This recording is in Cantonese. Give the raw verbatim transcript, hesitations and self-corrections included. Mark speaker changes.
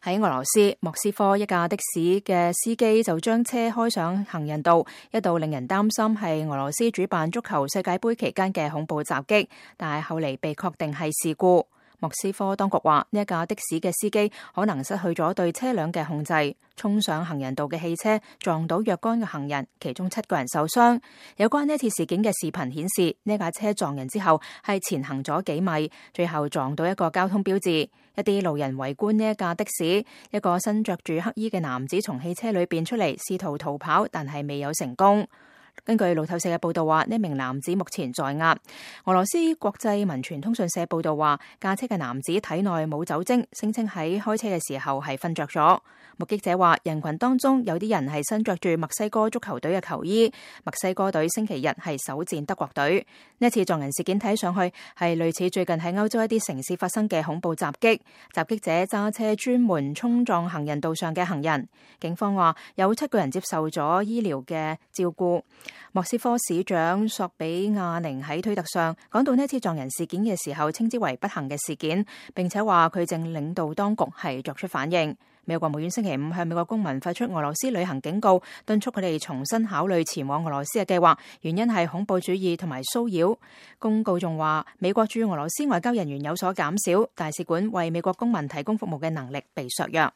Speaker 1: 喺俄羅斯莫斯科，一架的士嘅司機就將車開上行人道，一度令人擔心係俄羅斯主辦足球世界盃期間嘅恐怖襲擊，但係後嚟被確定係事故。莫斯科當局話，呢一架的士嘅司機可能失去咗對車輛嘅控制，衝上行人道嘅汽車撞到若干嘅行人，其中七個人受傷。有關呢次事件嘅視頻顯示，呢架車撞人之後係前行咗幾米，最後撞到一個交通標誌。一啲路人圍觀呢一架的士，一個身着住黑衣嘅男子從汽車裏邊出嚟，試圖逃跑，但係未有成功。根據路透社嘅報道話，呢名男子目前在押。俄羅斯國際民傳通訊社報道話，駕車嘅男子體內冇酒精，聲稱喺開車嘅時候係瞓着咗。目擊者話，人群當中有啲人係身着住墨西哥足球隊嘅球衣，墨西哥隊星期日係首戰德國隊。呢一次撞人事件睇上去係類似最近喺歐洲一啲城市發生嘅恐怖襲擊，襲擊者揸車專門衝撞行人道上嘅行人。警方話有七個人接受咗醫療嘅照顧。莫斯科市長索比亞寧喺推特上講到呢次撞人事件嘅時候，稱之為不幸嘅事件，並且話佢正領導當局係作出反應。美國國務院星期五向美國公民發出俄羅斯旅行警告，敦促佢哋重新考慮前往俄羅斯嘅計劃，原因係恐怖主義同埋騷擾。公告仲話，美國駐俄羅斯外交人員有所減少，大使館為美國公民提供服務嘅能力被削弱。